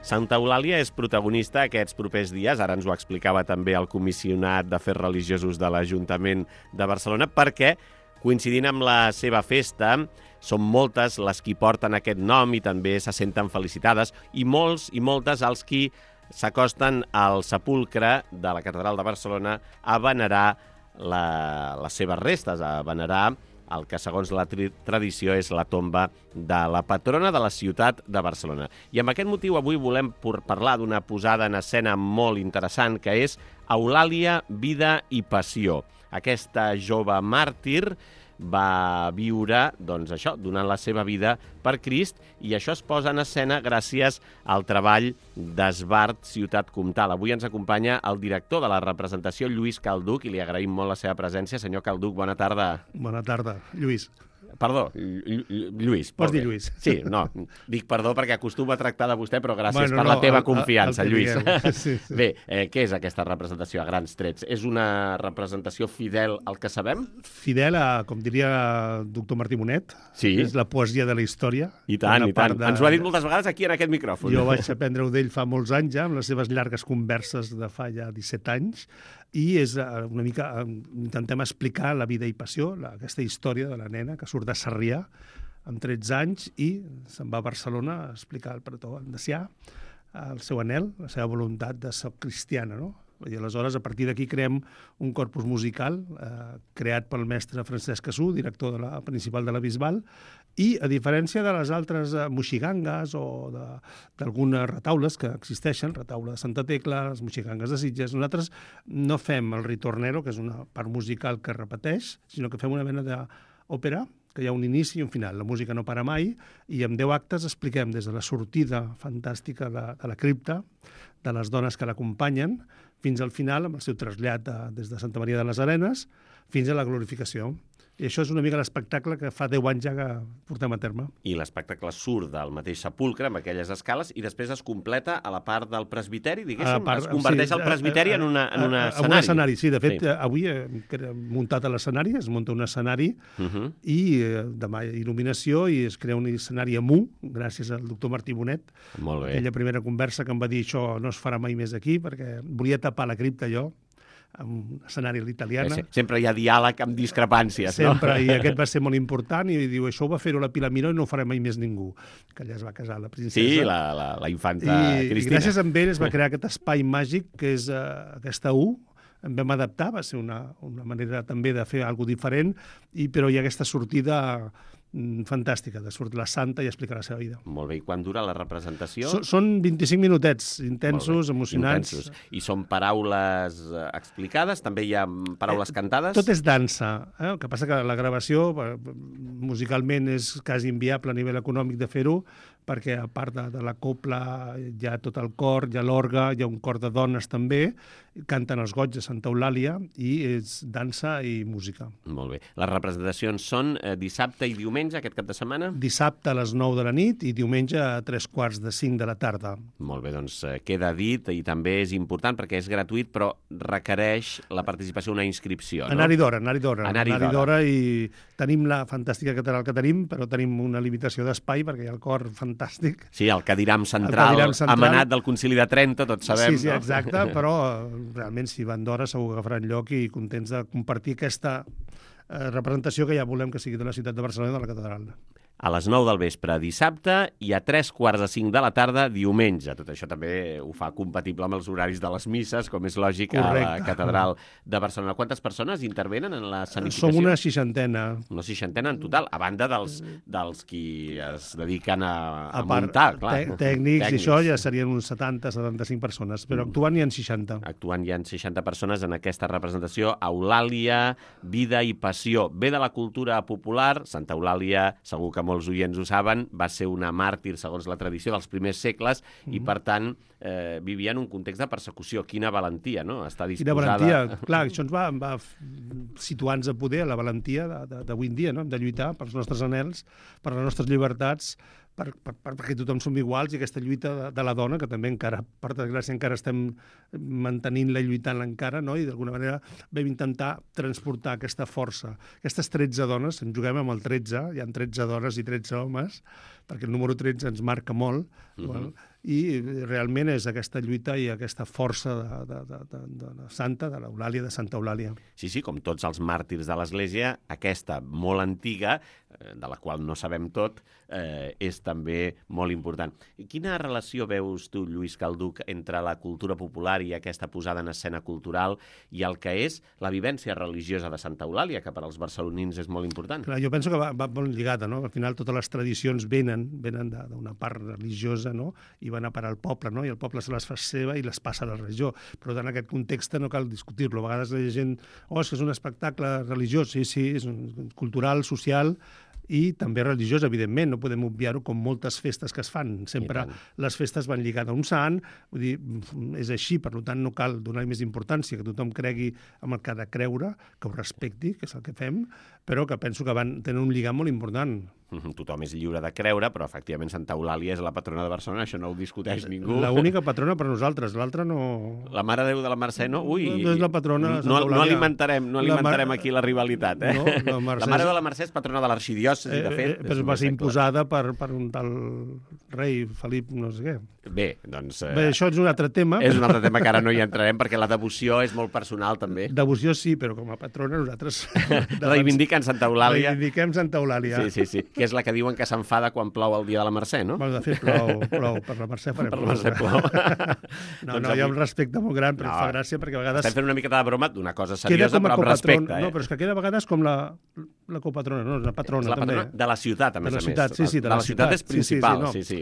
Santa Eulàlia és protagonista aquests propers dies, ara ens ho explicava també el comissionat d'Afers Religiosos de l'Ajuntament de Barcelona, perquè, coincidint amb la seva festa, són moltes les qui porten aquest nom i també se senten felicitades, i molts i moltes els qui s'acosten al sepulcre de la Catedral de Barcelona a venerar les seves restes, a venerar el que, segons la tradició, és la tomba de la patrona de la ciutat de Barcelona. I amb aquest motiu avui volem parlar d'una posada en escena molt interessant, que és Eulàlia, vida i passió. Aquesta jove màrtir va viure, doncs això, donant la seva vida per Crist, i això es posa en escena gràcies al treball d'Esbart Ciutat Comtal. Avui ens acompanya el director de la representació, Lluís Calduch, i li agraïm molt la seva presència. Senyor Calduch, bona tarda. Bona tarda, Lluís. Perdó, Lluís. Pots dir Lluís. Sí, no, dic perdó perquè acostuma a tractar de vostè, però gràcies per la teva confiança, Lluís. Sí. Bé, què és aquesta representació a grans trets? És una representació fidel al que sabem? Fidel a, com diria el doctor Martí Monet, sí. És la poesia de la història. I tant, i tant. Ens ho ha dit moltes vegades aquí en aquest micròfon. Jo vaig aprendre-ho d'ell fa molts anys ja, amb les seves llargues converses de fa ja 17 anys, i és una mica, intentem explicar la vida i passió, aquesta història de la nena que surt de Sarrià amb 13 anys i se'n va a Barcelona a explicar al pretó andesià el seu anhel, la seva voluntat de ser cristiana, no? I aleshores, a partir d'aquí, creem un corpus musical creat pel mestre Francesc Cassú, director principal de la Bisbal, i, a diferència de les altres moxigangues o d'algunes retaules que existeixen, retaule de Santa Tecla, les moxigangues de Sitges, nosaltres no fem el ritornero, que és una part musical que repeteix, sinó que fem una mena d'òpera, que hi ha un inici i un final. La música no para mai, i en 10 actes expliquem des de la sortida fantàstica de la cripta, de les dones que l'acompanyen, fins al final, amb el seu trasllat des de Santa Maria de les Arenes, fins a la glorificació. I això és una mica l'espectacle que fa 10 anys ja que portem a terme. I l'espectacle surt del mateix sepulcre, amb aquelles escales, i després es completa a la part del presbiteri, diguéssim? Es converteix el presbiteri en un escenari. En un escenari, sí. De fet, avui hem muntat a l'escenari, es munta un escenari, i demà hi ha il·luminació, i es crea un escenari amú, gràcies al doctor Martí Bonet. Molt bé. Aquella primera conversa que em va dir això no es farà mai més aquí, perquè volia tapar la cripta jo, amb un escenari a l'italiana. Sempre hi ha diàleg amb discrepàncies, sempre, no? I aquest va ser molt important, i diu, això ho va fer-ho la Pilar Miró i no ho farà mai més ningú, que allà es va casar la princesa. Sí, la infanta Cristina. I gràcies a ell es va crear aquest espai màgic, que és aquesta U, en vam adaptar, va ser una manera també de fer alguna cosa diferent, però hi ha aquesta sortida fantàstica, de sortir la santa i explicar la seva vida. Molt bé, i quan dura la representació? Són 25 minutets, intensos, emocionants. Intensos. I són paraules explicades? També hi ha paraules cantades? Tot és dansa. El que passa que la gravació musicalment és quasi inviable a nivell econòmic de fer-ho, perquè a part de la copla hi ha tot el cor, hi ha l'orgue, hi ha un cor de dones també, canten els goigs de Santa Eulàlia, i és dansa i música. Molt bé. Les representacions són dissabte i diumenge, aquest cap de setmana? Dissabte a les 9 de la nit i diumenge a 3:45 de la tarda. Molt bé, doncs queda dit, i també és important perquè és gratuït, però requereix la participació, una inscripció, no? Anar-hi d'hora, i tenim la fantàstica catedral que tenim, però tenim una limitació d'espai perquè hi ha el cor fantàstic. Sí, el cadiram central, emanat del Concili de Trento, tots sabem. Sí, exacte, però realment si van d'hora segur que agafaran lloc, i contents de compartir aquesta representació que ja volem que sigui de la ciutat de Barcelona i de la catedral. A les 9 del vespre dissabte i a 3:45 de la tarda diumenge. Tot això també ho fa compatible amb els horaris de les misses, com és lògic, a la catedral de Barcelona. Quantes persones intervenen en la sanificació? Som una seixantena. Una seixantena en total, a banda dels qui es dediquen a muntar, clar. Tècnics, i això ja serien uns 70-75 persones, però actuant hi ha 60. Actuant hi ha 60 persones en aquesta representació. Eulàlia, vida i passió. Ve de la cultura popular. Santa Eulàlia, segur que molts oients ho saben, va ser una màrtir, segons la tradició, dels primers segles, i, per tant, vivia en un context de persecució. Quina valentia, no? Està disposada... Quina valentia. Clar, això ens va situar-nos a poder, la valentia d'avui en dia, no? De lluitar pels nostres anhels, per les nostres llibertats, perquè tothom som iguals, i aquesta lluita de la dona, que també encara, per desgràcia, encara estem mantenint-la i lluitant-la encara, no? I d'alguna manera vam intentar transportar aquesta força. Aquestes 13 dones, ens juguem amb el 13, hi ha 13 dones i 13 homes, perquè el número 13 ens marca molt, i realment és aquesta lluita i aquesta força de la Santa, de l'Eulàlia, de Santa Eulàlia. Sí, sí, com tots els màrtirs de l'Església, aquesta molt antiga, de la qual no sabem tot, és també molt important. Quina relació veus tu, Lluís Calduch, entre la cultura popular i aquesta posada en escena cultural i el que és la vivència religiosa de Santa Eulàlia, que per als barcelonins és molt important? Clar, jo penso que va molt lligada, no? Al final totes les tradicions venen d'una part religiosa, no? I van a parar al poble, no? I el poble se les fa seva i les passa a la religió. Però en aquest context no cal discutir-lo. A vegades la gent, és que és un espectacle religiós. Sí, és cultural, social i també religiós, evidentment. No podem obviar-ho com moltes festes que es fan. Sempre les festes van lligades a un sant, vull dir, és així, per tant no cal donar-hi més importància, que tothom cregui amb el que ha de creure, que ho respecti, que és el que fem, però que penso que van tenir un lligam molt important. Tothom és lliure de creure, però efectivament Santa Eulàlia és la patrona de Barcelona, això no ho discuteix ningú. L'única patrona per nosaltres, l'altra no... La Mare de Déu de la Mercè, no? Ui, no és la patrona de Santa Eulàlia. No alimentarem aquí la rivalitat, eh? No, la Mare de Déu de la Mercè és patrona de l'arxidiòcesi, de fet. Però va ser imposada per un tal rei Felip no sé què. Bé, doncs... Bé, això és un altre tema. És un altre tema que ara no hi entrarem, perquè la devoció és molt personal, també. Devoció sí, però com a patrona nosaltres... Reivindiquen Santa Eulàlia. Reivindiquem Santa Eulàlia. Sí, que és la que diuen que s'enfada quan plou el dia de la Mercè, no? Bueno, de fet, plou. Per la Mercè farem plou. Per la Mercè plou. No, hi ha un respecte molt gran, però fa gràcia perquè a vegades... Estem fent una miqueta de broma d'una cosa seriosa, però amb respecte. No, però és que queda a vegades com la copatrona, no? És la patrona, també. És la patrona de la ciutat, a més a més. Sí, de la ciutat és principal, sí.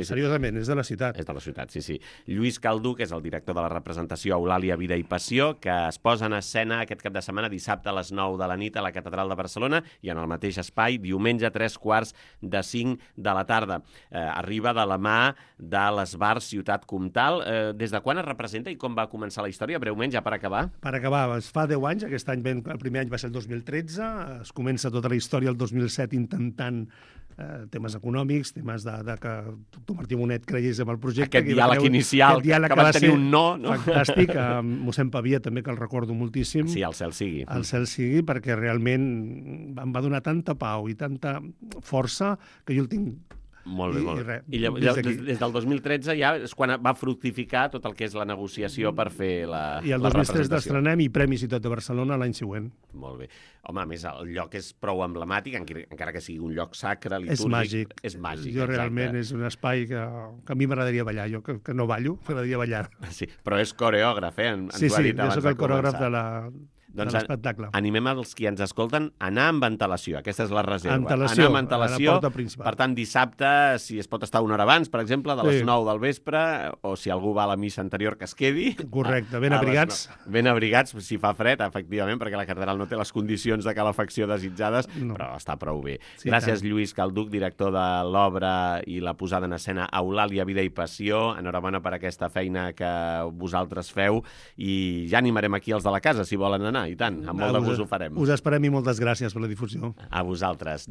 Seriosament, és de la ciutat. És de la ciutat, sí. Lluís Calduch és el director de la representació Eulàlia, Vida i Passió, que es posa en escena aquest cap de setmana, dissabte a les 9 de la nit a la Catedral de Barcelona i en el mateix espai, diumenge a 3:45 de la tarda. Arriba de la mà de l'Esbar Ciutat Comtal. Des de quan es representa i com va començar la història? Breument, ja per acabar. Per acabar, es fa 10 anys, aquest any, el primer any va ser el 2013, es comença tota la història el 2007 intentant temes econòmics, temes de que tu, Martí Bonet, creies en el projecte. Aquest diàleg inicial, que va tenir un no. Fantàstic. Mossèn Pavia també, que el recordo moltíssim. Sí, al cel sigui. Al cel sigui, perquè realment em va donar tanta pau i tanta força que jo el tinc. Molt bé. I des del 2013 ja és quan va fructificar tot el que és la negociació per fer la representació. I el 2003 d'estrenem i Premi Ciutat de Barcelona l'any següent. Molt bé. Home, a més, el lloc és prou emblemàtic, encara que sigui un lloc sacre, litúrgic. És màgic. És màgic, jo realment és un espai que a mi m'agradaria ballar. Jo que no ballo, m'agradaria ballar. Sí, però és coreògraf, eh? Sí, jo soc el coreògraf de l'espectacle. Animem els qui ens escolten a anar amb antelació. Aquesta és la reserva. Antelació, anar amb antelació. a la porta principal. Per tant, dissabte, si es pot estar una hora abans, per exemple, de les 9 del vespre, o si algú va a la missa anterior, que es quedi. Correcte, ben abrigats. Ben abrigats, si fa fred, efectivament, perquè la catedral no té les condicions de calefacció desitjades, però està prou bé. Sí, gràcies, Lluís Calduch, director de l'obra i la posada en escena Eulàlia, Vida i Passió. Enhorabona per aquesta feina que vosaltres feu i ja animarem aquí els de la casa, si volen anar. I tant, amb molt de gust ho farem. Us esperem i moltes gràcies per la difusió. A vosaltres.